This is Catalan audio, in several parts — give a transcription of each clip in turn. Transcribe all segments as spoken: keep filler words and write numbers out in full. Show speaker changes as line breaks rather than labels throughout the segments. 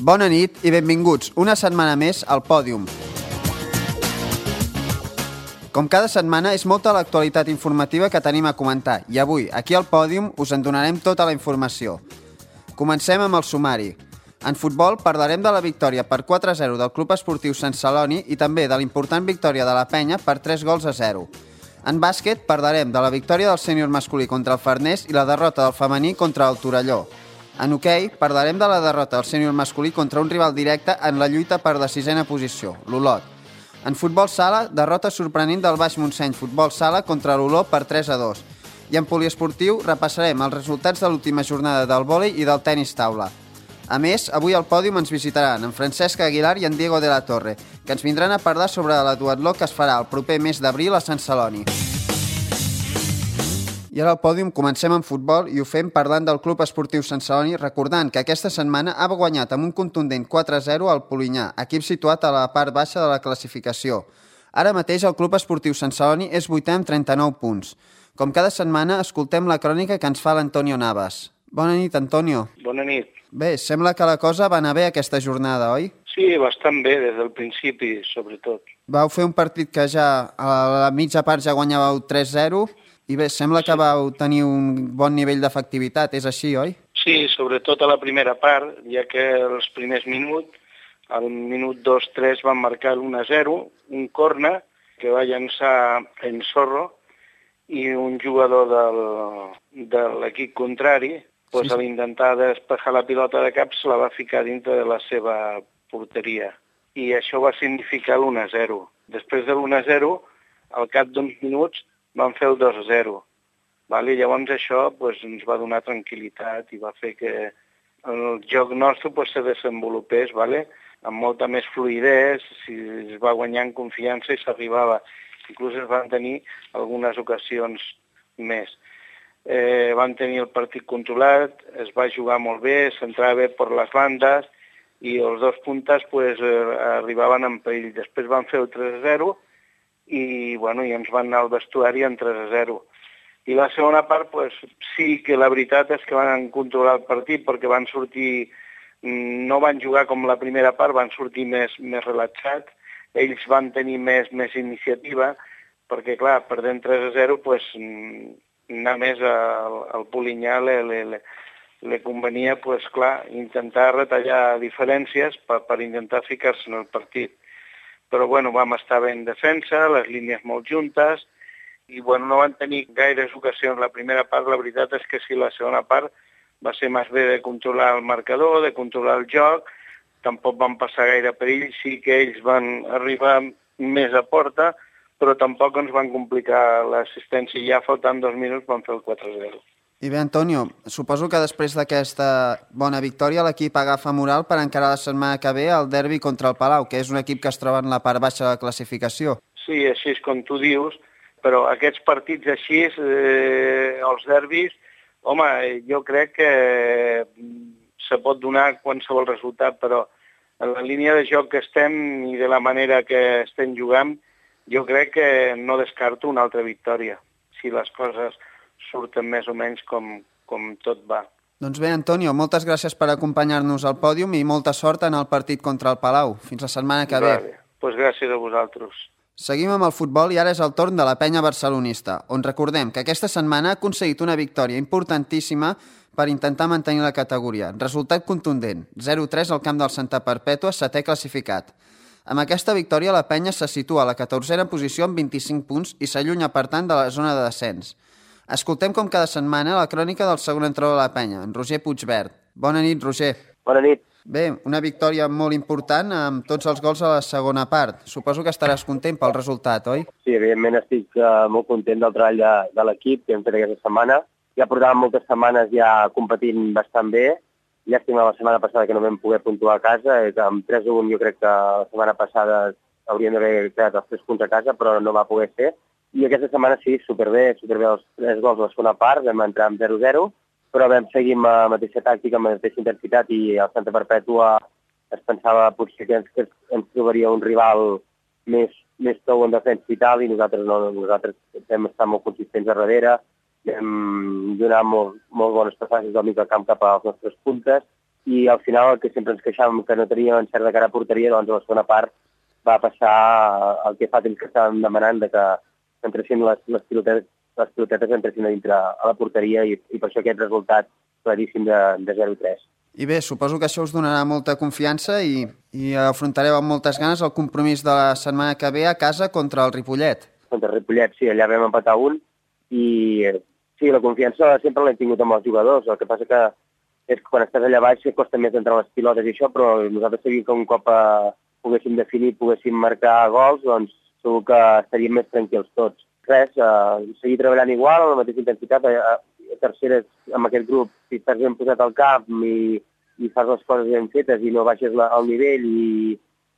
Bona nit i benvinguts una setmana més al Pòdium. Com cada setmana, és molta l'actualitat informativa que tenim a comentar i avui, aquí al Pòdium, us en donarem tota la informació. Comencem amb el sumari. En futbol parlarem de la victòria per quatre a zero del Club Esportiu Sant Celoni i també de l'important victòria de la Penya per tres gols a zero. En bàsquet parlarem de la victòria del sènior masculí contra el Farners i la derrota del femení contra el Torelló. En hoquei parlarem de la derrota del sènior masculí contra un rival directe en la lluita per la sisena posició, l'Olot. En futbol sala, derrota sorprenent del Baix Montseny Futbol Sala contra l'Olor per tres a dos. I en poliesportiu repassarem els resultats de l'última jornada del vòlei i del tenis taula. A més, avui al pòdium ens visitaran en Francesc Aguilar i en Diego de la Torre, que ens vindran a parlar sobre la duatló que es farà el proper mes d'abril a Sant Celoni. I ara al pòdium comencem amb futbol i ho fem parlant del Club Esportiu Sant Celoni, recordant que aquesta setmana ha guanyat amb un contundent quatre a zero al Polinyà, equip situat a la part baixa de la classificació. Ara mateix el Club Esportiu Sant Celoni és vuitè amb trenta-nou punts. Com cada setmana, escoltem la crònica que ens fa l'Antonio Navas. Bona nit, Antonio.
Bona nit.
Bé, sembla que la cosa va anar bé aquesta jornada, oi?
Sí, bastant bé, des del principi, sobretot.
Vau fer un partit que ja a la mitja part ja guanyàveu tres a zero i bé, sembla que vau tenir un bon nivell d'efectivitat, és així, oi?
Sí, sobretot a la primera part, ja que els primers minuts, al minut dos tres van marcar l'u a zero, un corner que va llançar en Zorro i un jugador del, de l'equip contrari, pues, sí. A l'intentar despejar la pilota de cap se la va ficar dintre de la seva porteria. I això va significar l'u a zero. Després de l'u a zero, al cap d'uns minuts, van fer el dos a zero. Vale? Llavors això pues, ens va donar tranquil·litat i va fer que el joc nostre pues, se desenvolupés, vale? Amb molta més fluïdesa, si es va guanyar en confiança i s'arribava. Inclús es van tenir algunes ocasions més. Eh, van tenir el partit controlat, es va jugar molt bé, s'entrava bé per les bandes i els dos puntes pues, eh, arribaven en perill. Després van fer el tres a zero i, bueno, i ens van anar al vestuari en tres a zero. I la segona part, pues, sí que la veritat és que van controlar el partit perquè van sortir, no van jugar com la primera part, van sortir més, més relaxats, ells van tenir més, més iniciativa perquè, clar, perdent tres a zero, pues, anar més al, al Polinyà li, li, li, li convenia, pues, clar, intentar retallar diferències per, per intentar ficar-se en el partit. Però bueno, vam estar bé en defensa, les línies molt juntes, i bueno, no van tenir gaires ocasions la primera part. La veritat és que sí, la segona part va ser més bé de controlar el marcador, de controlar el joc, tampoc van passar gaire perill, sí que ells van arribar més a porta, però tampoc ens van complicar l'assistència i ja faltant dos minuts van fer el quatre a zero.
I bé, Antonio, suposo que després d'aquesta bona victòria l'equip agafa moral per encarar la setmana que ve el derbi contra el Palau, que és un equip que es troba en la part baixa de la classificació.
Sí, així és com tu dius, però aquests partits així, eh, els derbis, home, jo crec que se pot donar qualsevol resultat, però en la línia de joc que estem i de la manera que estem jugant, jo crec que no descarto una altra victòria, si les coses surten més o menys com, com tot va.
Doncs bé, Antonio, moltes gràcies per acompanyar-nos al pòdium i molta sort en el partit contra el Palau. Fins la setmana que ve.
Vale. Pues gràcies a vosaltres.
Seguim amb el futbol i ara és el torn de la penya barcelonista, on recordem que aquesta setmana ha aconseguit una victòria importantíssima per intentar mantenir la categoria. Resultat contundent, zero a tres al camp del Santa Perpètua, setè classificat. Amb aquesta victòria la penya se situa a la catorzena posició amb vint-i-cinc punts i s'allunya, per tant, de la zona de descens. Escoltem com cada setmana la crònica del segon entrenador de la penya, en Roger Puigverd. Bona nit, Roger.
Bona nit.
Bé, una victòria molt important amb tots els gols a la segona part. Suposo que estaràs content pel resultat, oi?
Sí, evidentment estic uh, molt content del treball de, de l'equip que hem fet aquesta setmana. Ja portàvem moltes setmanes ja competint bastant bé. Llàstima la setmana passada que no vam poder puntuar a casa. Amb tres a un jo crec que la setmana passada hauríem d'haver quedat els tres punts a casa, però no va poder ser. I aquesta setmana sí, superbé, superbé els tres gols a la segona part, vam entrar amb zero a zero, però vam seguir amb la mateixa tàctica, amb la mateixa intensitat, i el Santa Perpètua es pensava potser que ens, que ens trobaria un rival més, més tou en defensa i tal, i nosaltres no, nosaltres vam estar molt consistents a darrere, vam donar molt, molt bones passatges del mig del camp cap als nostres puntes, i al final el que sempre ens queixàvem que no teníem encert de cara a porteria, doncs a la segona part va passar el que fa temps que estàvem demanant, de que entressin les, les, pilotetes, les pilotetes entressin a dintre a la porteria i, i per això aquest resultat claríssim de, de zero tres.
I bé, suposo que això us donarà molta confiança i, i afrontareu amb moltes ganes el compromís de la setmana que ve a casa contra el Ripollet.
Contra el Ripollet, sí, allà vam empatar un i sí, la confiança sempre l'hem tingut amb els jugadors, el que passa que és que quan estàs allà baix costa més entrar les pilotes i això, però nosaltres sabíem que un cop eh, poguéssim definir, poguéssim marcar gols, doncs segur que estaríem més tranquils tots. Res, eh, seguir treballant igual, a la mateixa intensitat, a, a terceres amb aquest grup, si estàs ben posat al camp i, i fas les coses ben fetes i no baixes la, el nivell i,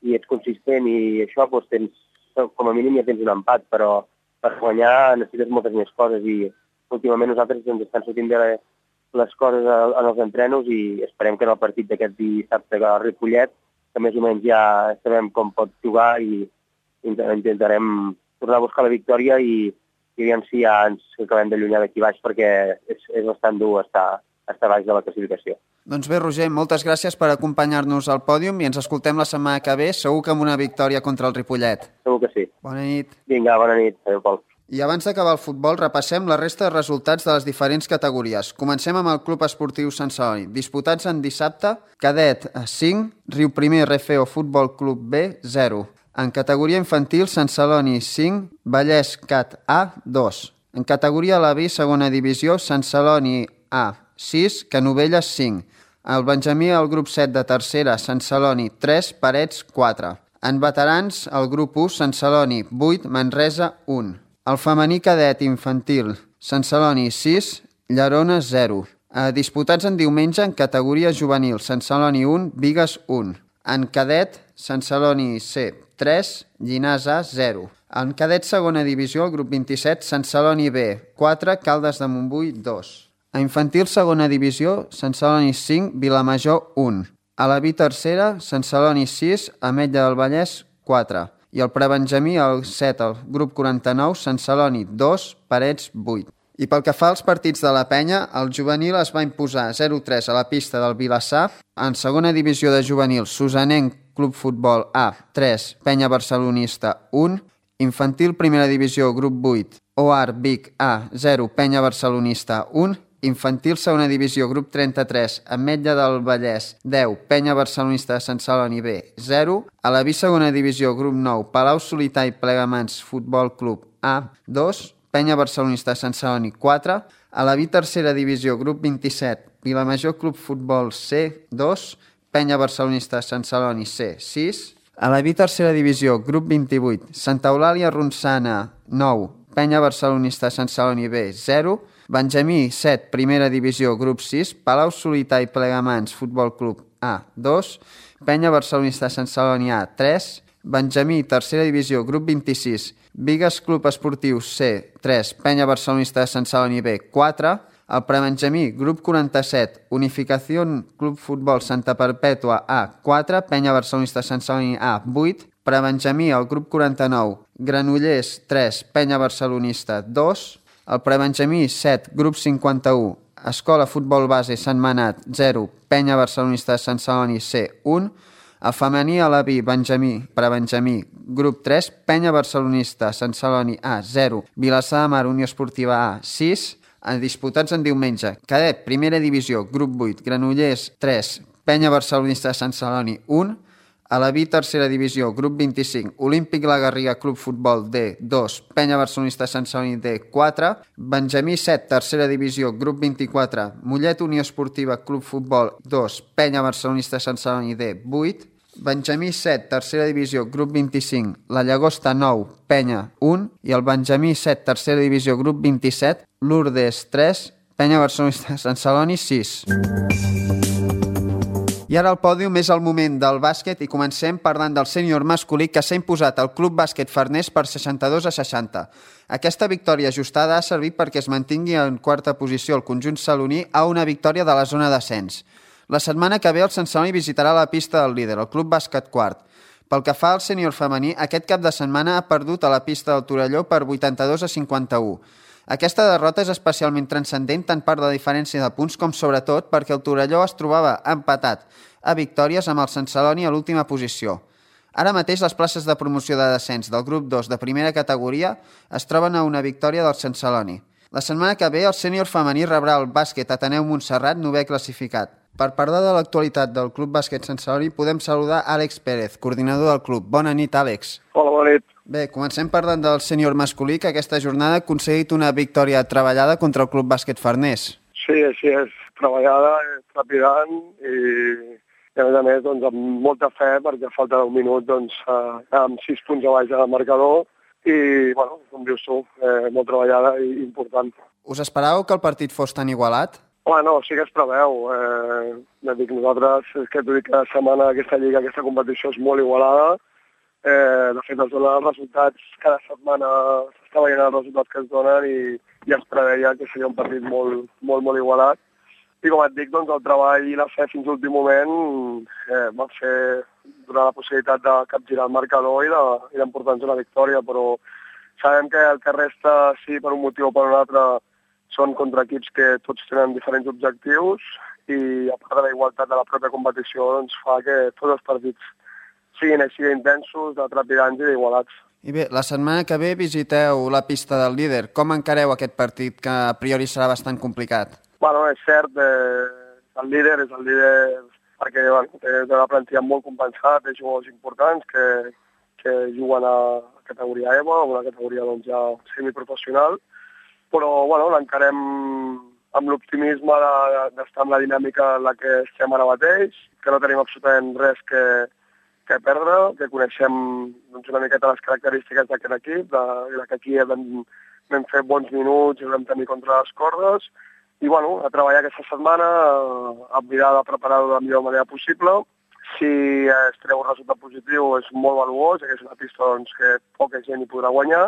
i ets consistent i això, doncs tens, com a mínim ja tens un empat, però per guanyar necessites moltes més coses i últimament nosaltres ens estan sortint bé les coses en els entrenos i esperem que en el partit d'aquest dissabte al Ripollet, que més o menys ja sabem com pot jugar i intentarem tornar a buscar la victòria i, i aviam si ja ens acabem d'allunyar d'aquí baix perquè és, és bastant dur estar, estar baix de la classificació.
Doncs bé, Roger, moltes gràcies per acompanyar-nos al pòdium i ens escoltem la setmana que ve, segur que amb una victòria contra el Ripollet.
Segur que sí.
Bona nit.
Vinga, bona nit. Adéu, Pol.
I abans d'acabar el futbol, repassem la resta de resultats de les diferents categories. Comencem amb el Club Esportiu Sant Celoni. Disputats en dissabte, Cadet cinc, Riu Primer Refeo Futbol Club B zero. En categoria infantil, Sant Celoni cinc, Vallès Cat A dos. En categoria a la B, segona divisió, Sant Celoni A sis, Canovelles cinc. El Benjamí al grup set de tercera, Sant Celoni tres, Parets quatre. En veterans, el grup u, Sant Celoni vuit, Manresa un. El femení cadet infantil, Sant Celoni sis, Llerona zero. Eh, disputats en diumenge en categoria juvenil, Sant Celoni un, Bigues un. En cadet, Sant Celoni C tres, Llinars A zero. En cadet segona divisió, el grup vint-i-set, Sant Celoni B quatre, Caldes de Montbui dos. A infantil segona divisió, Sant Celoni cinc, Vilamajor un. A la B tercera, Sant Celoni sis, Ametlla del Vallès quatre. I el prebenjamí, el set, el grup quaranta-nou, Sant Celoni dos, Parets vuit. I pel que fa als partits de la penya, el juvenil es va imposar zero tres a la pista del Vilassar. En segona divisió de juvenil, Susanenc Club Futbol A tres, Penya Barcelonista un. Infantil primera divisió, grup vuit, O A R Vic A zero, Penya Barcelonista un. Infantil segona divisió, grup trenta-tres, Ametlla del Vallès deu, Penya Barcelonista de Sant Celoni B zero. A la B segona divisió, grup nou, Palau Solità i Plegamans Futbol Club A dos, Penya Barcelonista de Sant Celoni quatre. A la B tercera divisió, grup vint-i-set, Vilamajor Club Futbol C dos, Penya Barcelonista de Sant Celoni C sis. A la B tercera divisió, grup vint-i-vuit, Santa Eulàlia Ronçana nou, Penya Barcelonista de Sant Celoni B zero. Benjamí set, primera divisió, grup sis, Palau Solità i Plegamans Futbol Club A dos, Penya Barcelonista de Sant Celoni A tres, Benjamí tercera divisió, grup vint-i-sis, Bigues Club Esportiu C tres, Penya Barcelonista de Sant Celoni B quatre, el prebenjamí, grup quaranta-set, Unificació Club Futbol Santa Perpètua A quatre, Penya Barcelonista de Sant Celoni A vuit, prebenjamí, el grup quaranta-nou, Granollers tres, Penya Barcelonista dos, el prebenjamí set, grup cinquanta-u, Escola Futbol Base Sant Manat zero, Penya Barcelonista de Sant Celoni C un. El femení a la B, benjamí, prebenjamí, grup tres, Penya Barcelonista Sant Celoni A zero, Vilassar de Mar Unió Esportiva A sis. Disputats en diumenge, cadet primera divisió, grup vuit, Granollers tres, Penya Barcelonista de Sant Celoni un. A la B tercera divisió, grup vint-i-cinc, Olímpic La Garriga Club Futbol D dos, Penya Barcelonista de Sant Celoni D quatre, Benjamí set, tercera divisió, grup vint-i-quatre, Mollet Unió Esportiva Club Futbol dos, Penya Barcelonista de Sant Celoni D vuit, Benjamí set, tercera divisió, grup vint-i-cinc, La Llagosta nou, Penya un, i el Benjamí set, tercera divisió, grup vint-i-set, Lourdes tres, Penya Barcelonista de Sant Celoni sis. I ara al pòdium és el moment del bàsquet i comencem parlant del sènior masculí que s'ha imposat al Club Bàsquet Farners per seixanta-dos a seixanta. Aquesta victòria ajustada ha servit perquè es mantingui en quarta posició el conjunt saloní a una victòria de la zona d'ascens. La setmana que ve el Sant Celoni visitarà la pista del líder, el Club Bàsquet Quart. Pel que fa al sènior femení, aquest cap de setmana ha perdut a la pista del Torelló per vuitanta-dos a cinquanta-u. Aquesta derrota és especialment transcendent tant per la diferència de punts com sobretot perquè el Torelló es trobava empatat a victòries amb el Sant Celoni a l'última posició. Ara mateix les places de promoció de descens del grup dos de primera categoria es troben a una victòria del Sant Celoni. La setmana que ve el sènior femení rebrà el bàsquet Ateneu Montserrat, novè classificat. Per parlar de l'actualitat del Club Bàsquet Sant Celoni podem saludar Àlex Pérez, coordinador del club. Bona nit, Àlex.
Hola, bona nit.
Bé, comencem parlant del sènior masculí, que aquesta jornada ha aconseguit una victòria treballada contra el Club Bàsquet Farners.
Sí, així és. Treballada, trepidant i, i a més a més doncs, amb molta fe perquè a falta d'un minut doncs, eh, amb sis punts a baix del marcador i, bueno, com dius tu, eh, molt treballada i important.
Us esperàveu que el partit fos tan igualat?
Home, no, sí que es preveu. Eh, ja dic, nosaltres, és que t'ho dic, cada setmana aquesta lliga, aquesta competició és molt igualada. Eh, de fet, es donen els resultats, cada setmana s'està veient els resultats que es donen i ja es preveia que seria un partit molt, molt, molt igualat. I com et dic, doncs, el treball i la fe fins a l'últim moment eh, va fer donar la possibilitat de capgirar el marcador i d'emportar-nos una victòria, però sabem que el que resta, sí, per un motiu o per un altre, són contra equips que tots tenen diferents objectius i a part de la igualtat de la pròpia competició doncs fa que tots els partits siguin així d'intensos, de trepidants i d'igualats.
I bé, la setmana que ve visiteu la pista del líder. Com encareu aquest partit, que a priori serà bastant complicat?
Bueno, és cert, eh, el líder és el líder perquè bueno, té una plantilla molt compensada, té jugadors importants que, que juguen a categoria E V A, una categoria doncs, ja semiprofessional, però bueno, l'encarem amb l'optimisme d'estar amb la dinàmica en la que estem ara mateix, que no tenim absolutament res que, que perdre, que coneixem doncs, una miqueta les característiques d'aquest equip, de, de que aquí vam, vam fer bons minuts i vam tenir contra les cordes, i bueno, a treballar aquesta setmana, a mirar de preparar-ho de la millor manera possible. Si es treu un resultat positiu és molt valuós, que és una pista doncs, que poca gent hi podrà guanyar,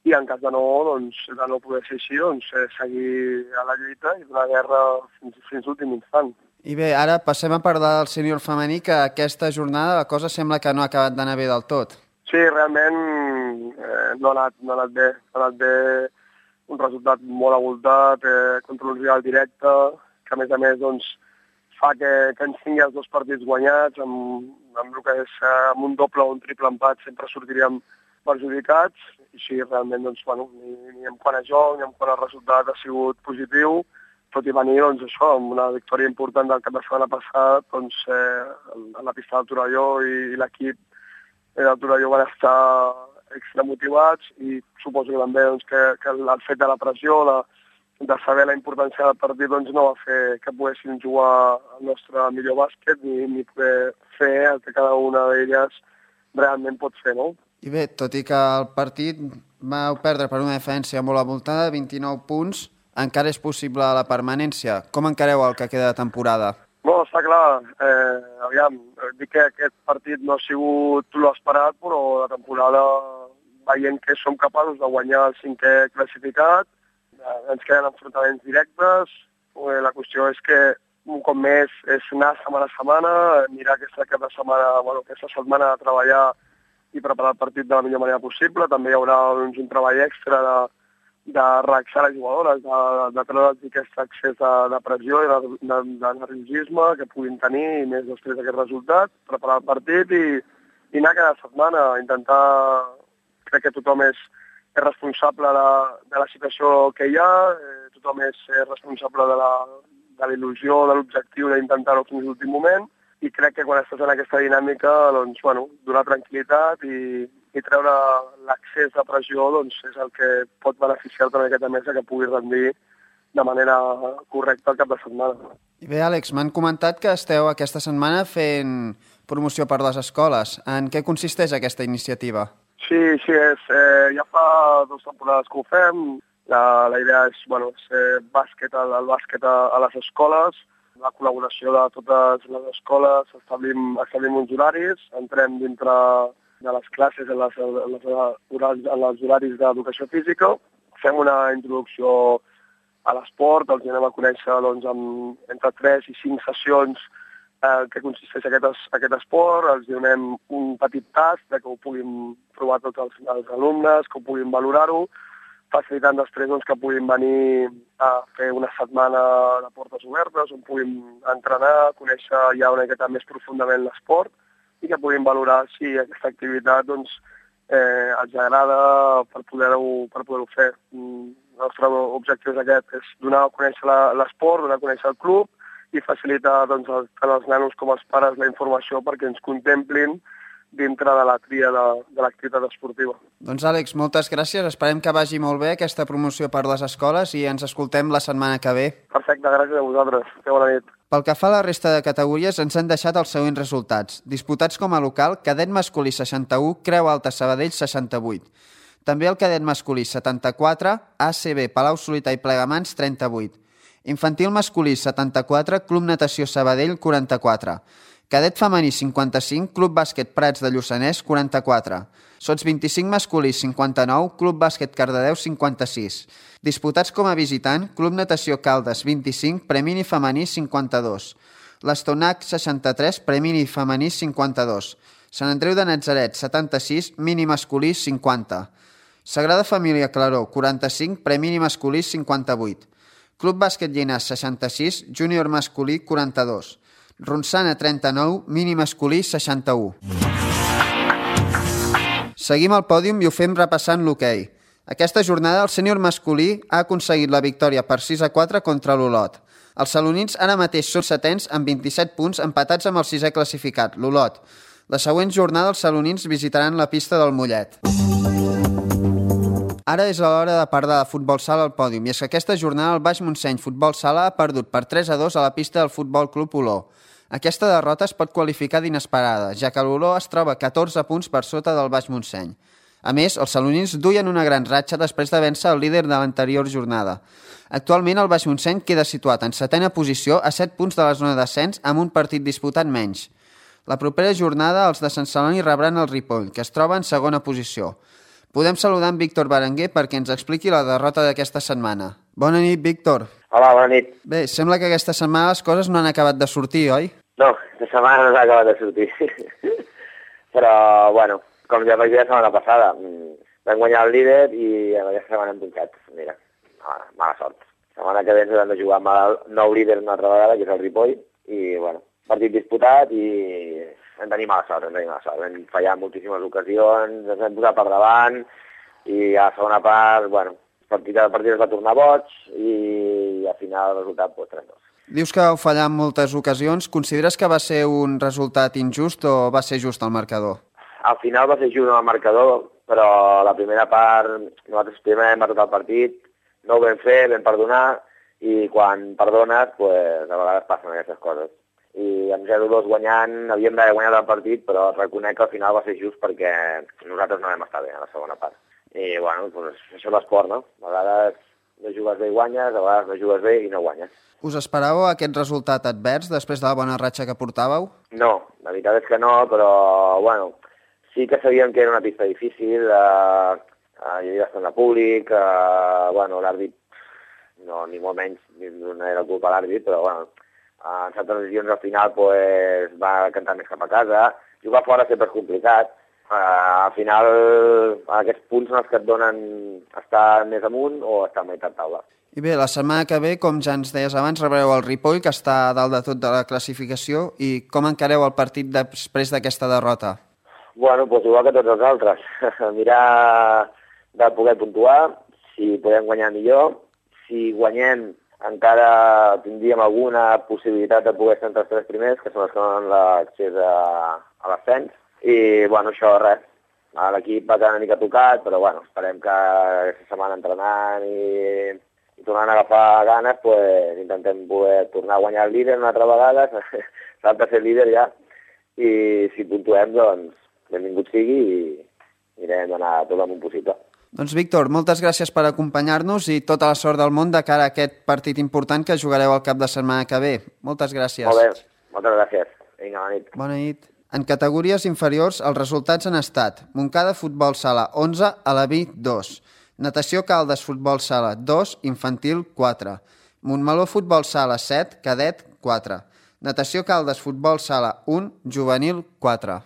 i en cas de no, doncs, de no poder ser així, doncs, seguir a la lluita i donar guerra fins, fins l'últim instant.
I bé, ara passem a parlar del sènior femení, que aquesta jornada la cosa sembla que no ha acabat d'anar bé del tot.
Sí, realment eh, no, ha anat, no ha anat bé. Ha anat bé un resultat molt avoltat, eh, contra un rival directe, que a més a més doncs, fa que, que ens tingui els dos partits guanyats, amb, amb el que és eh, amb un doble o un triple empat sempre sortiríem perjudicats, i sí, realment, doncs, bueno, ni, ni en quant a joc, ni en quant a resultat ha sigut positiu, tot i venir, doncs, això, amb una victòria important del cap de setmana passat, doncs, eh, a la pista del Torelló i, i l'equip del Torelló van estar extra motivats i suposo que també doncs, que, que el fet de la pressió, la, de saber la importància del partit, doncs, no va fer que poguéssim jugar el nostre millor bàsquet ni, ni poder fer el que cada una d'elles realment pot fer, no?
I bé, tot i que el partit vau perdre per una diferència molt avoltada, vint-i-nou punts, encara és possible la permanència. Com encareu el que queda de temporada?
No, està clar. Eh, aviam, dic que aquest partit no ha sigut l'esperat, però la temporada, veient que som capaços de guanyar el cinquè classificat, eh, ens queden enfrontaments directes. Eh, la qüestió és que un cop més és anar setmana a setmana, mirar aquesta, aquesta, setmana, bueno, aquesta setmana a treballar i preparar el partit de la millor manera possible. També hi haurà doncs, un treball extra de, de reaccionar les jugadores, de, de treure'ls aquest accés de, de pressió i de, de, de nerviosisme que puguin tenir i més després d'aquest resultat, preparar el partit i, i anar cada setmana a intentar, crec que tothom és, és responsable de, de la situació que hi ha, eh, tothom és responsable de la, de la il·lusió, de l'objectiu d'intentar-ho fins a l'últim moment, i crec que quan estàs en aquesta dinàmica, doncs, bueno, donar tranquil·litat i, i treure l'accés de pressió doncs, és el que pot beneficiar-te en aquesta mesa que pugui rendir de manera correcta el cap de setmana.
I bé, Àlex, m'han comentat que esteu aquesta setmana fent promoció per les escoles. En què consisteix aquesta iniciativa?
Sí, sí, és, eh, ja fa dues temporades que ho fem. La, la idea és, bueno, és bàsquet, el, el bàsquet a, a les escoles, la col·laboració de totes les escoles, establim, establim uns horaris, entrem dintre de les classes en les, en les, horaris, en els horaris d'educació física, fem una introducció a l'esport, els anem a conèixer doncs, amb, entre tres i cinc sessions eh, que consisteix aquest, aquest esport, els donem un petit tast de que ho puguin provar tots els, els alumnes, que ho puguin valorar-ho, facilitant després doncs, que puguin venir a fer una setmana de portes obertes, on puguin entrenar, conèixer ja una miqueta més profundament l'esport i que puguin valorar si aquesta activitat doncs, eh, els agrada per poder-ho per poder-ho fer. El nostre objectiu és aquest, és donar a conèixer l'esport, donar a conèixer el club i facilitar doncs, tant els nanos com els pares la informació perquè ens contemplin dintre de la tria de, de l'activitat esportiva.
Doncs Àlex, moltes gràcies. Esperem que vagi molt bé aquesta promoció per les escoles i ens escoltem la setmana que ve.
Perfecte, gràcies a vosaltres. Que bona nit.
Pel que fa a la resta de categories, ens han deixat els següents resultats. Disputats com a local, cadet masculí seixanta-u, Creu Alta Sabadell seixanta-vuit. També el cadet masculí setanta-quatre, A C B Palau-solità i Plegamans trenta-vuit. Infantil masculí setanta-quatre, Club Natació Sabadell quaranta-quatre. Cadet femení cinquanta-cinc, Club Bàsquet Prats de Lluçanès quaranta-quatre. Sots vint-i-cinc masculí cinquanta-nou, Club Bàsquet Cardedeu cinquanta-sis. Disputats com a visitant, Club Natació Caldes vint-i-cinc, Premini femení cinquanta-dos. L'Estonac seixanta-tres, Premini femení cinquanta-dos. Sant Andreu de Natzaret setanta-sis, Mini masculí cinquanta. Sagrada Família Claró quaranta-cinc, Premini masculí cinquanta-vuit. Club Bàsquet Llinars seixanta-sis, Júnior masculí quaranta-dos. Ronçana trenta-nou, Mini masculí seixanta-u. Seguim al pòdium i ho fem repassant l'hoquei. Aquesta jornada el sènior masculí ha aconseguit la victòria per sis a quatre contra l'Olot. Els salonins ara mateix són setens amb vint-i-set punts empatats amb el sisè classificat, l'Olot. La següent jornada els salonins visitaran la pista del Mollet. Ara és l'hora de parlar de futbol sala al pòdium i és que aquesta jornada el Baix Montseny Futbol Sala ha perdut per tres a dos a la pista del Futbol Club Oló. Aquesta derrota es pot qualificar d'inesperada, ja que l'Oló es troba catorze punts per sota del Baix Montseny. A més, els salonins duien una gran ratxa després de vèncer el líder de l'anterior jornada. Actualment el Baix Montseny queda situat en setena posició a set punts de la zona d'ascens amb un partit disputat menys. La propera jornada els de Sant Celoni rebran el Ripoll, que es troba en segona posició. Podem saludar en Víctor Berenguer perquè ens expliqui la derrota d'aquesta setmana. Bona nit, Víctor.
Hola, bona nit.
Bé, sembla que aquesta setmana les coses no han acabat de sortir, oi?
No, aquesta setmana no s'ha acabat de sortir. Però, bueno, com ja vaig dir la setmana passada, vam guanyar el líder i aquesta setmana hem punxat. Mira, mala sort. La setmana que ve ens hem de jugar amb el nou líder una altra vegada, que és el Ripoll, i, bueno, partit disputat i hem tenir mala sort, hem tenir mala sort. Vam fallar moltíssimes ocasions, ens hem posat per davant i a la segona part, bueno, el partit, el partit es va tornar boig i al final el resultat, pues, tres a dos.
Dius que vau fallar en moltes ocasions. Consideres que va ser un resultat injust o va ser just el marcador?
Al final va ser just el marcador, però la primera part, nosaltres primer hem batut el partit, no ho vam fer, vam perdonar, i quan perdones, pues, a vegades passen aquestes coses. I amb zero a dos guanyant, havíem d'haver guanyat el partit, però reconec que al final va ser just perquè nosaltres no vam estar bé a la segona part. I, bueno, pues, això és l'esport, no? A vegades no jugues bé i guanyes, a vegades no jugues bé i no guanyes.
Us esperàveu aquest resultat advers després de la bona ratxa que portàveu?
No, la veritat és que no, però, bueno, sí que sabíem que era una pista difícil, eh, eh, hi havia bastant de públic, eh, bueno, l'àrbit, no, ni molt menys, no era culpa l'àrbit, però, bueno, en certes decisions al final pues, va cantar més cap a casa. Jugar fora sempre és complicat. Uh, al final aquests punts són els que et donen estar més amunt o estar a meitat taula.
I bé, la setmana que ve, com ja ens deies abans, rebreu el Ripoll, que està a dalt de tot de la classificació, i com encareu el partit després d'aquesta derrota?
Bueno, doncs igual que tots els altres. Mirar de poder puntuar, si podem guanyar millor. Si guanyem encara tindríem alguna possibilitat de poder estar entre els tres primers, que són els que donen l'accés a, a l'ascens. I, bueno, això, res. L'equip va quedar una mica tocat, però, bueno, esperem que aquesta setmana entrenant i, i tornant a agafar ganes, pues, intentem poder tornar a guanyar el líder una altra vegada, s'ha ser líder ja, i si puntuem, doncs, benvingut sigui i mirem d'anar tot el món possible.
Doncs, Víctor, moltes gràcies per acompanyar-nos i tota la sort del món de cara a aquest partit important que jugareu al cap de setmana que ve. Moltes gràcies.
Molt bé, moltes gràcies. Vinga, bona nit.
Bona nit. En categories inferiors, els resultats han estat Montcada Futbol Sala onze, Alaví dos, Natació Caldes Futbol Sala dos, Infantil quatre, Montmeló Futbol Sala set, Cadet quatre, Natació Caldes Futbol Sala un, Juvenil quatre.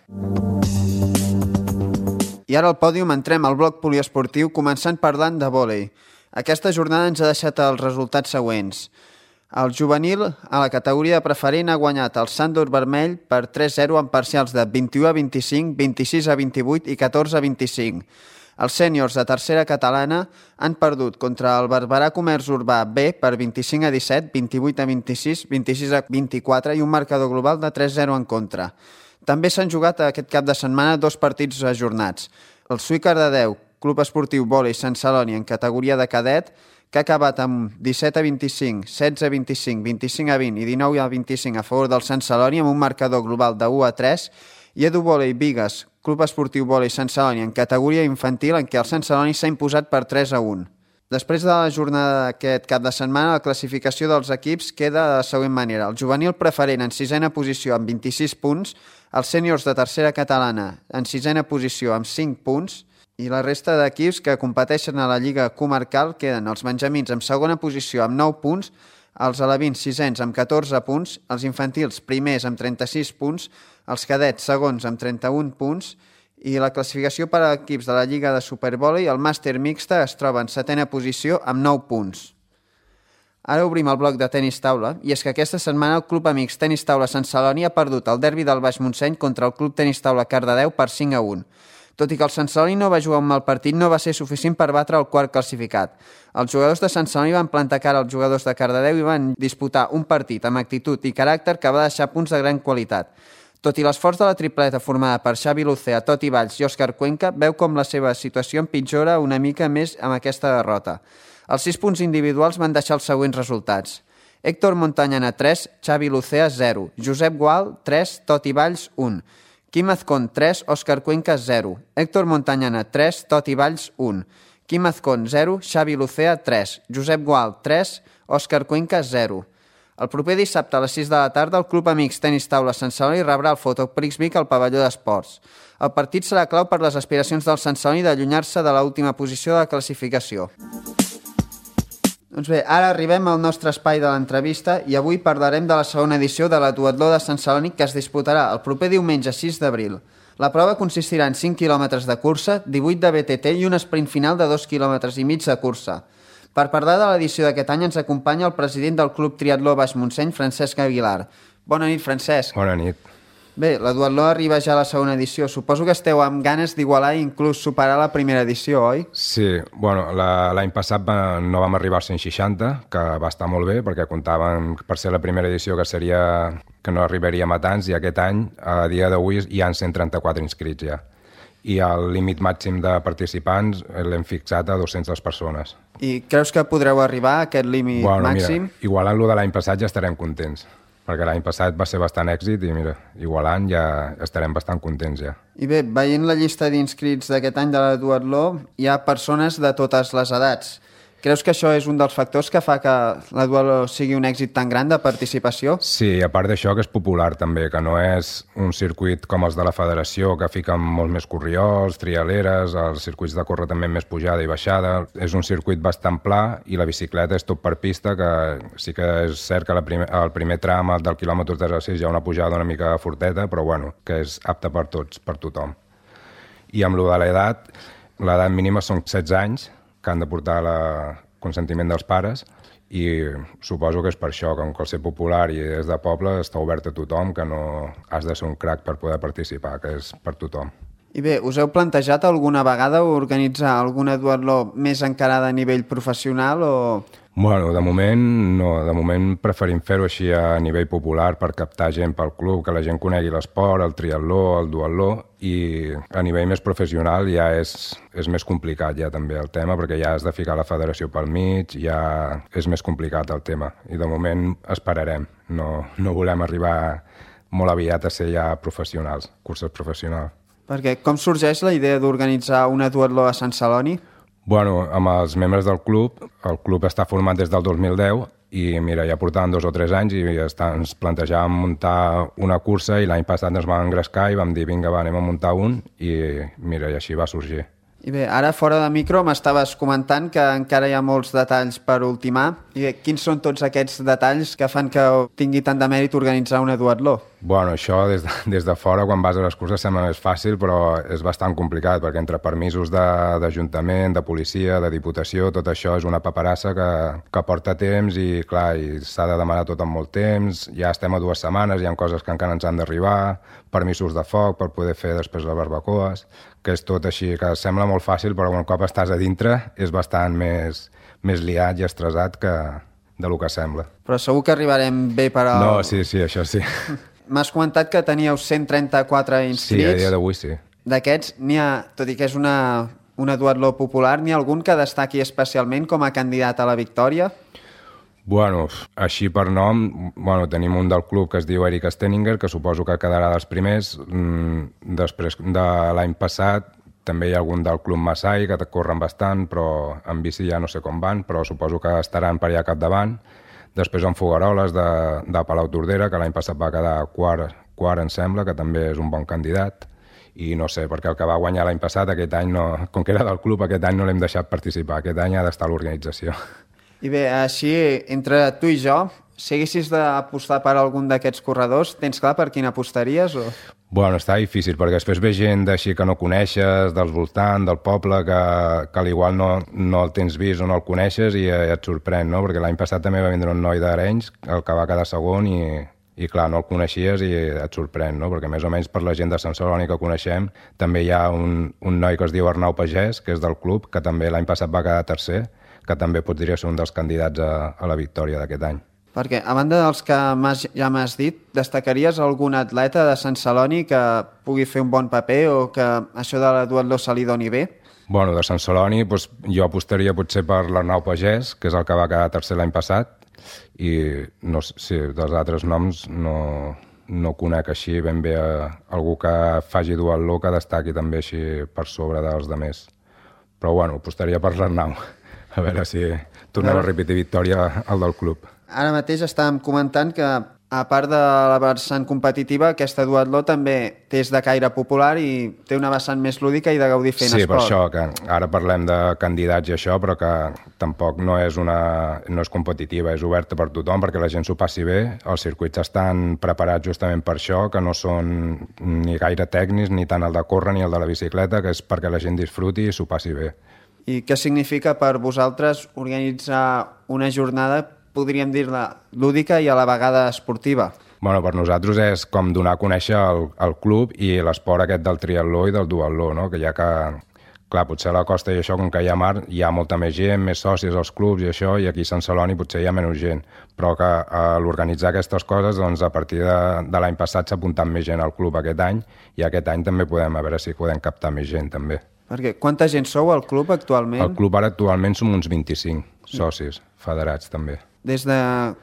I I ara al pòdium entrem al bloc poliesportiu, començant parlant de vòlei. Aquesta jornada ens ha deixat els resultats següents. El juvenil, a la categoria preferent, ha guanyat el Sàndor Vermell per tres zero en parcials de vint-i-u a vint-i-cinc, vint-i-sis a vint-i-vuit i catorze a vint-i-cinc. Els sèniors de tercera catalana han perdut contra el Barberà Comerç Urbà B per vint-i-cinc a disset, vint-i-vuit a vint-i-sis, vint-i-sis a vint-i-quatre i un marcador global de tres zero en contra. També s'han jugat aquest cap de setmana dos partits ajornats. El Sui Cardedeu, Club Esportiu Vòlei Sant Celoni en categoria de cadet, que ha acabat amb disset a vint-i-cinc, setze a vint-i-cinc, vint-i-cinc a vint i dinou a vint-i-cinc a favor del Sant Celoni amb un marcador global de u a tres, i Edu Vòlei Bigues, Club Esportiu Vòlei Sant Celoni en categoria infantil, en què el Sant Celoni s'ha imposat per tres a un. Després de la jornada d'aquest cap de setmana, la classificació dels equips queda de la següent manera. El juvenil preferent en sisena posició amb vint-i-sis punts, els sèniors de tercera catalana en sisena posició amb cinc punts, i la resta d'equips que competeixen a la Lliga Comarcal queden els benjamins en segona posició amb nou punts, els alevins sisens amb catorze punts, els infantils primers amb trenta-sis punts, els cadets segons amb trenta-un punts, i la classificació per a equips de la Lliga de Supervòlei, el màster mixta, es troba en setena posició amb nou punts. Ara obrim el bloc de tenis taula, i és que aquesta setmana el Club Amics Tenis Taula Sant Celoni ha perdut el derbi del Baix Montseny contra el Club Tenis Taula Cardedeu per cinc a un. Tot i que el Sant Celoni no va jugar un mal partit, no va ser suficient per batre el quart classificat. Els jugadors de Sant Celoni van plantar cara als jugadors de Cardedeu i van disputar un partit amb actitud i caràcter que va deixar punts de gran qualitat. Tot i l'esforç de la tripleta formada per Xavi Lucea, Toti Valls i Òscar Cuenca, veu com la seva situació empitjora una mica més amb aquesta derrota. Els sis punts individuals van deixar els següents resultats. Héctor Montañana, tres, Xavi Lucea, zero. Josep Gual, tres, Toti Valls, un. Quim Azcón, tres, Òscar Cuenca, zero. Héctor Montañana, tres, Toti Valls, un. Quim Azcón, zero, Xavi Lucea, tres. Josep Gual, tres, Òscar Cuenca, zero. El proper dissabte a les sis de la tarda el Club Amics Tenis Taula Sant Celoni rebrà el Fotoprix Vic al pavelló d'esports. El partit serà clau per les aspiracions del Sant Celoni d'allunyar-se de l'última posició de la classificació. Doncs bé, ara arribem al nostre espai de l'entrevista i avui parlarem de la segona edició de la Duatló de Sant Celoni que es disputarà el proper diumenge sis d'abril. La prova consistirà en cinc quilòmetres de cursa, divuit de B T T i un sprint final de dos quilòmetres i mig de cursa. Per parlar de l'edició d'aquest any ens acompanya el president del Club Triatló Baix Montseny, Francesc Aguilar. Bona nit, Francesc.
Bona nit.
Bé, la Duatló arriba ja a la segona edició. Suposo que esteu amb ganes d'igualar i inclús superar la primera edició, oi?
Sí, bueno, l'any passat va, no vam arribar als cent seixanta, que va estar molt bé, perquè comptaven per ser la primera edició que seria que no arribaríem a tants, i aquest any, a dia d'avui, hi ha cent trenta-quatre inscrits ja. I el límit màxim de participants l'hem fixat a dues-centes persones.
I creus que podreu arribar a aquest límit
bueno,
màxim?
Mira, igualant-lo de l'any passat ja estarem contents, perquè l'any passat va ser bastant èxit i mira, igualant ja estarem bastant contents ja.
I bé, veient la llista d'inscrits d'aquest any de la Duatló, hi ha persones de totes les edats. Creus que això és un dels factors que fa que la Duatló sigui un èxit tan gran de participació?
Sí, a part d'això que és popular també, que no és un circuit com els de la federació, que fiquen molts més corriols, trialeres, els circuits de córrer també més pujada i baixada. És un circuit bastant pla i la bicicleta és tot per pista, que sí que és cert que la primer, el primer tram del quilòmetre tres a sis hi ha una pujada una mica forteta, però bueno, que és apte per tots, per tothom. I amb lo de l'edat, l'edat mínima són setze anys, que han de portar el consentiment dels pares, i suposo que és per això, que com que el ser popular i és de poble està obert a tothom, que no has de ser un crac per poder participar, que és per tothom.
I bé, us heu plantejat alguna vegada organitzar alguna duatló més encarada a nivell professional o...?
Bueno, de moment no, de moment preferim fer-ho així a nivell popular per captar gent pel club, que la gent conegui l'esport, el triatló, el duatló, i a nivell més professional ja és, és més complicat ja també el tema, perquè ja has de ficar la federació pel mig, ja és més complicat el tema, i de moment esperarem, no, no volem arribar molt aviat a ser ja professionals, curses professionals.
Perquè com sorgeix la idea d'organitzar una duatló a Sant Celoni?
Bueno, amb els membres del club, el club està format des del dos mil deu i mira, ja portàvem dos o tres anys i està, ens plantejàvem muntar una cursa i l'any passat ens vam engrescar i vam dir vinga, va, anem a muntar un i mira, i així va sorgir.
I bé, ara fora de micro m'estaves comentant que encara hi ha molts detalls per ultimar. I bé, quins són tots aquests detalls que fan que tingui tant de mèrit organitzar una duatló?
Bueno, això des de, des de fora, quan vas a les curses, sembla més fàcil, però és bastant complicat, perquè entre permisos d'Ajuntament, de, de policia, de Diputació, tot això és una paperassa que, que porta temps i, clar, i s'ha de demanar tot en molt temps. Ja estem a dues setmanes, hi ha coses que encara ens han d'arribar, permisos de foc per poder fer després les barbacoes, que és tot així, que sembla molt fàcil, però un cop estàs a dintre és bastant més, més liat i estressat que de lo que sembla.
Però segur que arribarem bé per al...
No, sí, sí, això sí.
M'has comentat que teníeu cent trenta-quatre inscrits.
Sí, a dia d'avui sí.
D'aquests, n'hi ha, tot i que és una, una duatló popular, n'hi ha algun que destaqui especialment com a candidat a la victòria?
Bueno, així per nom, bueno, tenim un del club que es diu Eric Steninger, que suposo que quedarà dels primers. Després de l'any passat també hi ha algun del club Masai, que corren bastant, però en bici ja no sé com van, però suposo que estaran per allà capdavant. Després en Fogaroles, de, de Palau Tordera, que l'any passat va quedar quart, quart, em sembla, que també és un bon candidat. I no sé, perquè el que va guanyar l'any passat, aquest any, no, com que era del club, aquest any no l'hem deixat participar. Aquest any ha d'estar a l'organització.
I bé, així, entre tu i jo, si haguessis d'apostar per algun d'aquests corredors, tens clar per quin apostaries? O...
Bueno, està difícil, perquè després ve gent d'així que no coneixes, dels voltants, del poble, que, que a l'igual no, no el tens vist o no el coneixes i et sorprèn, no? Perquè l'any passat també va vindre un noi d'Arenys, el que va quedar segon, i, i clar, no el coneixies i et sorprèn, no? Perquè més o menys per la gent de Sant Celoni que coneixem, també hi ha un, un noi que es diu Arnau Pagès, que és del club, que també l'any passat va quedar tercer, que també podria ser un dels candidats a, a la victòria d'aquest any.
Perquè, a banda dels que ja m'has dit, destacaries algun atleta de Sant Celoni que pugui fer un bon paper o que això de la duatló se li doni bé?
Bueno, de Sant Celoni doncs, jo apostaria potser per l'Arnau Pagès, que és el que va quedar tercer l'any passat, i no, sí, dels altres noms no, no conec així ben bé a algú que faci duatló que destaqui també així per sobre dels demés. Però bueno, apostaria per l'Arnau, a veure si tornem a repetir victòria al del club.
Ara mateix estàvem comentant que, a part de la vessant competitiva, aquesta duatló també té de caire popular i té una vessant més lúdica i de gaudir fent
sí,
esport.
Sí, per això, que ara parlem de candidats i això, però que tampoc no és, una, no és competitiva, és oberta per tothom perquè la gent s'ho passi bé. Els circuits estan preparats justament per això, que no són ni gaire tècnics, ni tant el de córrer ni el de la bicicleta, que és perquè la gent disfruti i s'ho passi bé.
I què significa per vosaltres organitzar una jornada, podríem dir-la, lúdica i a la vegada esportiva?
Bueno, per nosaltres és com donar a conèixer el, el club i l'esport aquest del triatló i del duatló, no? Que ja que, clar, potser a la costa i això, com que hi ha mar, hi ha molta més gent, més socis als clubs i això, i aquí a Sant Celoni potser hi ha menys gent. Però que a l'organitzar aquestes coses, doncs a partir de, de l'any passat s'ha apuntat més gent al club aquest any, i aquest any també podem, a veure si podem captar més gent també.
Perquè quanta gent sou al club actualment?
Al club ara actualment som uns vint-i-cinc socis federats també.
Des de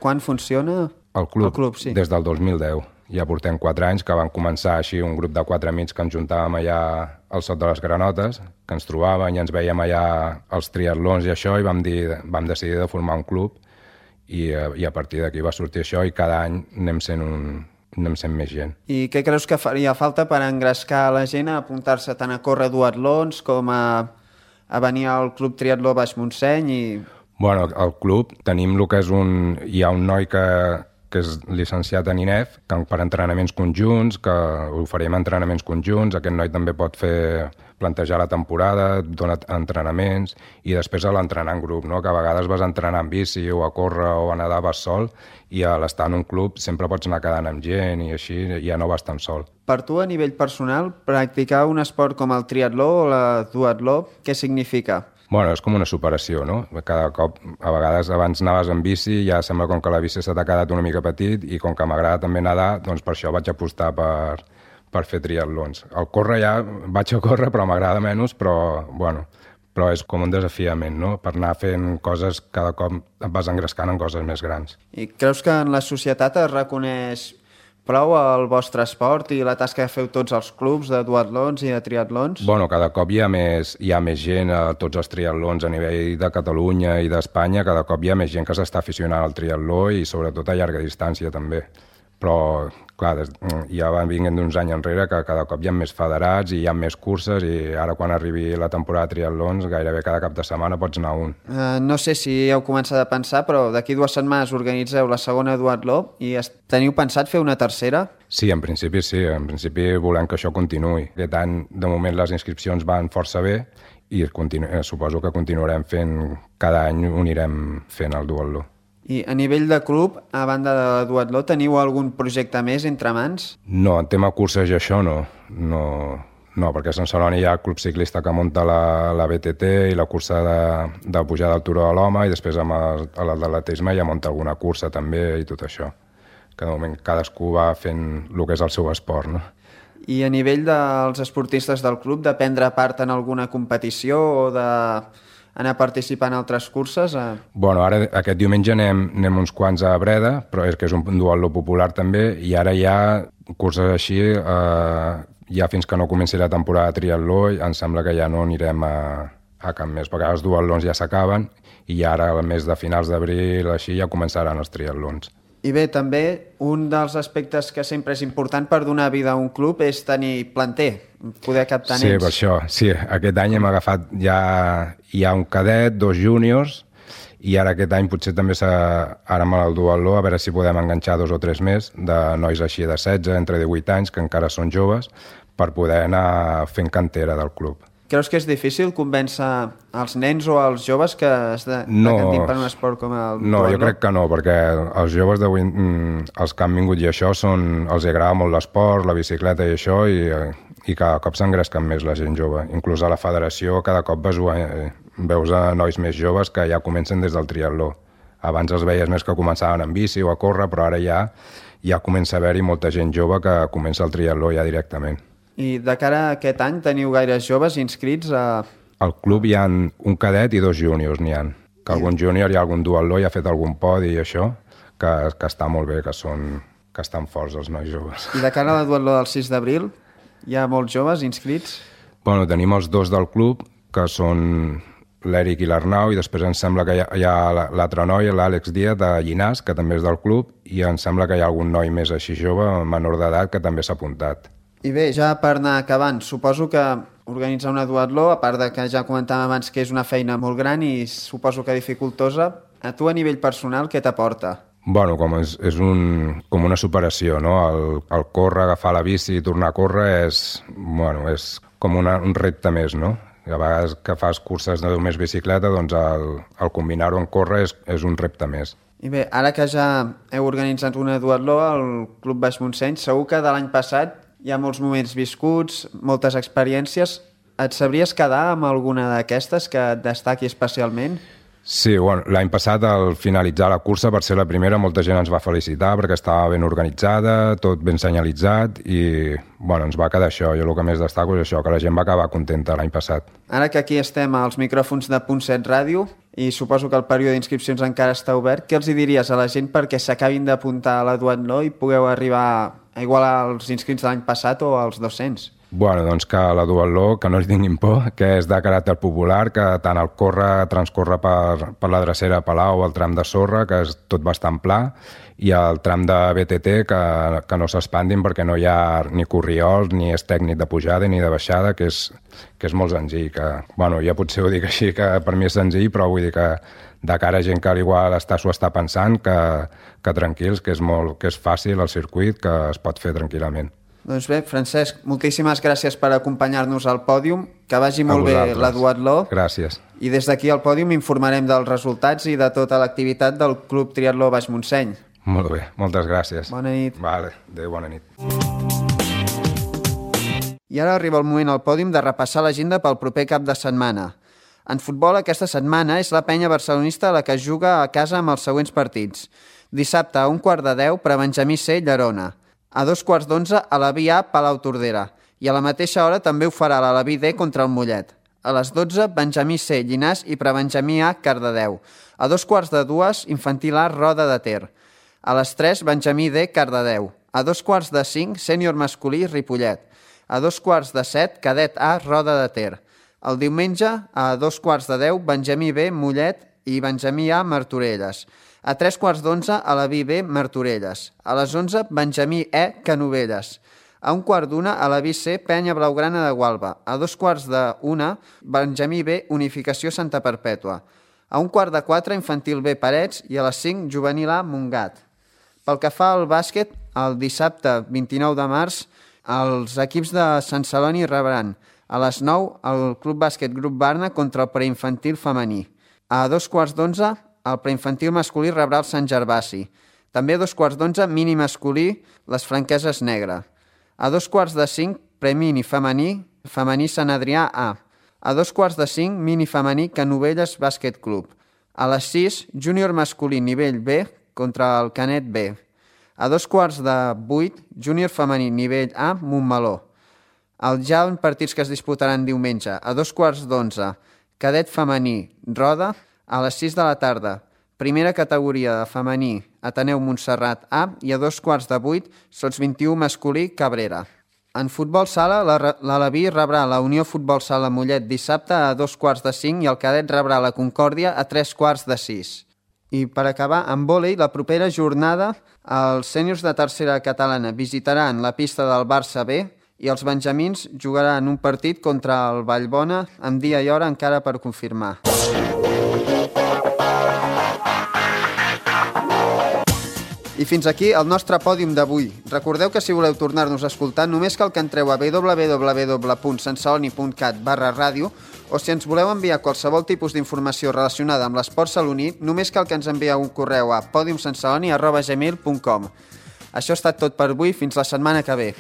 quan funciona?
El club,
el club sí.
Des del dos mil deu. Ja portem quatre anys que van començar així un grup de quatre amics que ens juntàvem allà al Sot de les Granotes, que ens trobàvem i ens veiem allà als triatlons i això, i vam, dir, vam decidir de formar un club i, i a partir d'aquí va sortir això i cada any anem sent, un, anem sent més gent.
I què creus que faria falta per engrescar la gent a apuntar-se tant a córrer duatlons com a, a venir al Club Triatló Baix Montseny i...
Bueno, al club tenim el que és un... Hi ha un noi que, que és llicenciat en I N E F, que per entrenaments conjunts, que oferim entrenaments conjunts, aquest noi també pot fer plantejar la temporada, dona entrenaments, i després a l'entrenar en grup, no? Que a vegades vas a entrenar en bici o a córrer o a nedar vas sol, i a l'estar en un club sempre pots anar quedant amb gent i així ja no vas tan sol.
Per tu, a nivell personal, practicar un esport com el triatló o la duatló, què significa?
Bueno, és com una superació, no? Cada cop, a vegades abans anaves en bici i ja sembla com que la bici se t'ha quedat una mica petit i com que m'agrada també nedar, doncs per això vaig apostar per, per fer triatlons. El córrer ja vaig a córrer però m'agrada menys, però, bueno, però és com un desafiament, no? Per anar fent coses, cada cop et vas engrescant en coses més grans.
I creus que en la societat es reconeix prou el vostre esport i la tasca que feu tots els clubs de duatlons i de triatlons?
Bueno, cada cop hi ha més, hi ha més gent a tots els triatlons a nivell de Catalunya i d'Espanya, cada cop hi ha més gent que s'està aficionant al triatló i sobretot a llarga distància també. però clar, des, ja van vinguent d'uns anys enrere que cada cop hi ha més federats i hi ha més curses i ara quan arribi la temporada de triatlons gairebé cada cap de setmana pots anar a un.
Uh, no sé si heu començat a pensar, però d'aquí dues setmanes organitzeu la segona duatló i teniu pensat fer una tercera?
Sí, en principi sí, en principi volem que això continuï. Aquest any, de moment, les inscripcions van força bé i continu... suposo que continuarem fent, cada any unirem fent el duatló.
I a nivell de club, a banda de la duatló, teniu algun projecte més entre mans?
No, en tema curses i això no. No, no perquè a Sant Celoni hi ha el club ciclista que munta la, la B T T i la cursa de, de pujada al Turó de l'Home i després amb el, l'atletisme ja munta alguna cursa també i tot això. Que de moment cadascú va fent el que és el seu esport, no?
I a nivell dels esportistes del club, de prendre part en alguna competició o de... anar a participar en altres curses? A...
Bueno, ara aquest diumenge anem, anem uns quants a Breda, però és que és un duatló popular també, i ara hi ha curses així, eh, ja fins que no comenci la temporada de triatló, em sembla que ja no anirem a, a cap més, perquè els duatlons ja s'acaben i ara al mes de finals d'abril així ja començaran els triatlons.
I bé, també un dels aspectes que sempre és important per donar vida a un club és tenir planter, poder captar nens.
Sí, per això. Sí, aquest any hem agafat ja, hi ha un cadet, dos júniors, i ara aquest any potser també s'ha, ara amb el duatló, a veure si podem enganxar dos o tres més de nois així de setze, entre divuit anys, que encara són joves, per poder anar fent cantera del club.
Creus que és difícil convèncer els nens o els joves que es de,
no,
decantin per un esport com el
No,
duatló?
Jo crec que no, perquè els joves d'avui, els que han vingut i això, són, els agrada molt l'esport, la bicicleta i això, i, i cada cop s'engresquen més la gent jove. Inclús a la federació cada cop veus, veus a nois més joves que ja comencen des del triatló. Abans els veies més que començaven en bici o a córrer, però ara ja, ja comença a haver-hi molta gent jove que comença el triatló ja directament.
I de cara a aquest any teniu gaires joves inscrits a...
Al club hi ha un cadet i dos júniors n'hi ha. Que algun júnior hi ha algun duatló i ha fet algun podi i això, que, que està molt bé, que, són, que estan forts els nois joves.
I de cara a la duatló del sis d'abril, hi ha molts joves inscrits?
Bueno, tenim els dos del club, que són l'Eric i l'Arnau, i després em sembla que hi ha, hi ha l'altre noi, l'Àlex Díaz, de Llinàs, que també és del club, i em sembla que hi ha algun noi més així jove, menor d'edat, que també s'ha apuntat.
I bé, ja per anar acabant, suposo que organitzar una duatló, a part de que ja comentàvem abans que és una feina molt gran i suposo que dificultosa, a tu a nivell personal què t'aporta?
Bueno, com és, és un, com una superació, no? El, el córrer, agafar la bici i tornar a córrer és, bueno, és com una, un repte més, no? A vegades que fas curses de només bicicleta, doncs el, el combinar-ho en córrer és, és un repte més.
I bé, ara que ja heu organitzat una duatló al Club Baix Montseny, segur que de l'any passat hi ha molts moments viscuts, moltes experiències. Et sabries quedar amb alguna d'aquestes que et destaqui especialment?
Sí, bueno, l'any passat, al finalitzar la cursa, per ser la primera, molta gent ens va felicitar perquè estava ben organitzada, tot ben senyalitzat i, bueno, ens va quedar això. Jo el que més destaco és això, que la gent va acabar contenta l'any passat.
Ara que aquí estem als micròfons de Punt set Ràdio i suposo que el període d'inscripcions encara està obert, què els hi diries a la gent perquè s'acabin d'apuntar a la duatló i pugueu arribar a igualar els inscrits de l'any passat o als dos-cents?
Bueno, doncs que la duatló, que no hi tinguin por, que és de caràcter popular, que tant el córrer transcorre per, per la drecera Palau, el tram de sorra, que és tot bastant pla, i el tram de B T T, que, que no s'expandin perquè no hi ha ni corriols, ni és tècnic de pujada ni de baixada, que és, que és molt senzill. Que, bueno, ja potser ho dic així, que per mi és senzill, però vull dir que de cara a gent que igual està, s'ho està pensant, que, que tranquils, que és, molt, que és fàcil el circuit, que es pot fer tranquil·lament.
Doncs bé, Francesc, moltíssimes gràcies per acompanyar-nos al pòdium, que vagi molt bé la duatló.
Gràcies.
I des d'aquí al pòdium informarem dels resultats i de tota l'activitat del Club Triatló Baix Montseny.
Molt bé, moltes gràcies.
Bona nit.
Vale, adéu, bona nit.
I ara arriba el moment al pòdium de repassar l'agenda pel proper cap de setmana. En futbol, aquesta setmana és la penya barcelonista la que juga a casa amb els següents partits. Dissabte, a un quart de deu, per a Benjamí C, Llerona. A dos quarts d'onze, a la Via A, Palau Tordera. I a la mateixa hora també ho farà la Laví D contra el Mollet. A les dotze, Benjamí C, Llinàs i Prebenjamí A, Cardedeu. A dos quarts de dues, Infantil A, Roda de Ter. A les tres, Benjamí D, Cardedeu. A dos quarts de cinc, Sènior Masculí, Ripollet. A dos quarts de set, Cadet A, Roda de Ter. El diumenge, a dos quarts de deu, Benjamí B, Mollet i Benjamí A, Martorelles. A tres quarts d'onze, a la B B, Martorelles. A les onze, Benjamí E, Canovelles. A un quart d'una, a la B C, Penya Blaugrana de Gualba. A dos quarts d'una, Benjamí B, Unificació Santa Perpètua. A un quart de quatre, Infantil B, Parets. I a les cinc, Juvenil A, Montgat. Pel que fa al bàsquet, el dissabte vint-i-nou de març, els equips de Sant Celoni rebran a les nou el Club Bàsquet Grup Barna contra el preinfantil femení. A dos quarts d'onze, el preinfantil masculí rebrà el Sant Gervasi. També a dos quarts d'onze, mini masculí, les Franqueses Negre. A dos quarts de cinc, premini femení, femení Sant Adrià A. A dos quarts de cinc, mini femení, Canovelles Bàsquet Club. A les sis, júnior masculí nivell B contra el Canet B. A dos quarts de vuit, júnior femení nivell A, Montmeló. Els ja en partits que es disputaran diumenge. A dos quarts d'onze, cadet femení, Roda. A les sis de la tarda, primera categoria de femení, Ateneu Montserrat A, i a dos quarts de vuit, sots vint-i-u masculí, Cabrera. En futbol sala, l'Alaví rebrà la Unió Futbol Sala Mollet dissabte a dos quarts de cinc i el cadet rebrà la Concòrdia a tres quarts de sis. I per acabar, en vòlei, la propera jornada, els sèniors de tercera catalana visitaran la pista del Barça B i els benjamins jugaran un partit contra el Vallbona amb dia i hora encara per confirmar. I fins aquí el nostre pòdium d'avui. Recordeu que si voleu tornar-nos a escoltar només cal que entreu a w w w punt santceloni punt cat barra ràdio o si ens voleu enviar qualsevol tipus d'informació relacionada amb l'esport saloní només cal que ens envieu un correu a podium santceloni arroba gmail punt com. Això ha estat tot per avui, fins la setmana que ve.